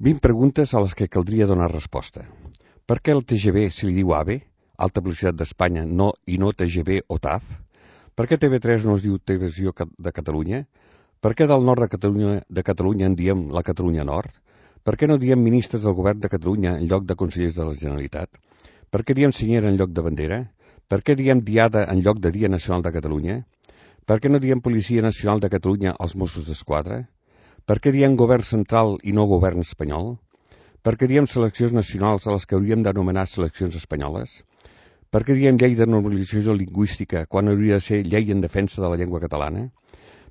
20 preguntes a les que caldria donar resposta. Per què el TGV se li diu AVE, Alta Velocitat d'Espanya, i no TGV o TAF? Per què TV3 no es diu Televisió de Catalunya? Per què del nord de Catalunya en diem la Catalunya Nord? Per què no diem ministres del govern de Catalunya en lloc de consellers de la Generalitat? Per què diem senyera en lloc de bandera? Per què diem diada en lloc de Dia Nacional de Catalunya? Per què no diem Policia Nacional de Catalunya als Mossos d'Esquadra? Per què diem govern central i no govern espanyol? Per què diem seleccions nacionals a les que hauríem d'anomenar seleccions espanyoles? Per què diem llei de normalització lingüística quan hauria de ser llei en defensa de la llengua catalana?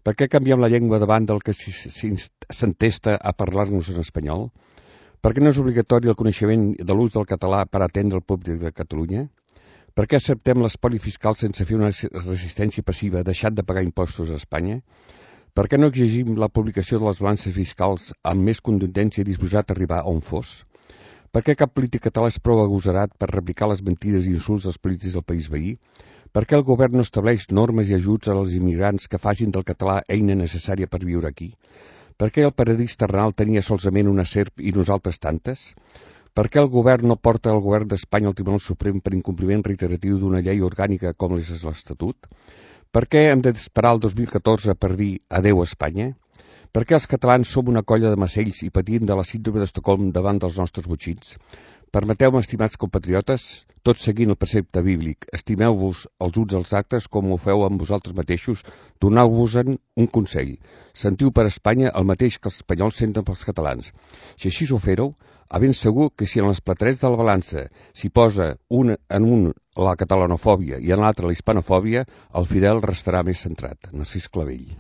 Per què canviem la llengua davant del que s'entesta a parlar-nos en espanyol? Per què no és obligatori el coneixement de l'ús del català per atendre el públic de Catalunya? Per què acceptem l'espoli fiscal sense fer una resistència passiva deixant de pagar impostos a Espanya? Per què no exigim la publicació de les balances fiscals amb més contundència disposat a arribar on fos? Per què cap polític català és prou agosarat per replicar les mentides i insults dels polítics del país veí? Per què el govern no estableix normes i ajuts als immigrants que facin del català eina necessària per viure aquí? Per què el paradís terrenal tenia solament una serp i nosaltres tantes? Per què el govern no porta el govern d'Espanya al Tribunal Suprem per incompliment reiteratiu d'una llei orgànica com és l'Estatut? Per què hem d'esperar el 2014 per dir adeu a Espanya? Per què els catalans som una colla de macells i patim de la síndrome d'Estocolm davant dels nostres botxins? Permeteu-me, estimats compatriotes, tot seguint el precepte bíblic, estimeu-vos els uns als altres com ho feu amb vosaltres mateixos, doneu-vos-en un consell. Sentiu per Espanya el mateix que els espanyols senten pels catalans. Si així ho fèreu, a ben segur que si en les platerets de la balança s'hi posa en un la catalanofòbia i en l'altre la hispanofòbia, el Fidel restarà més centrat. Narcís Clavell.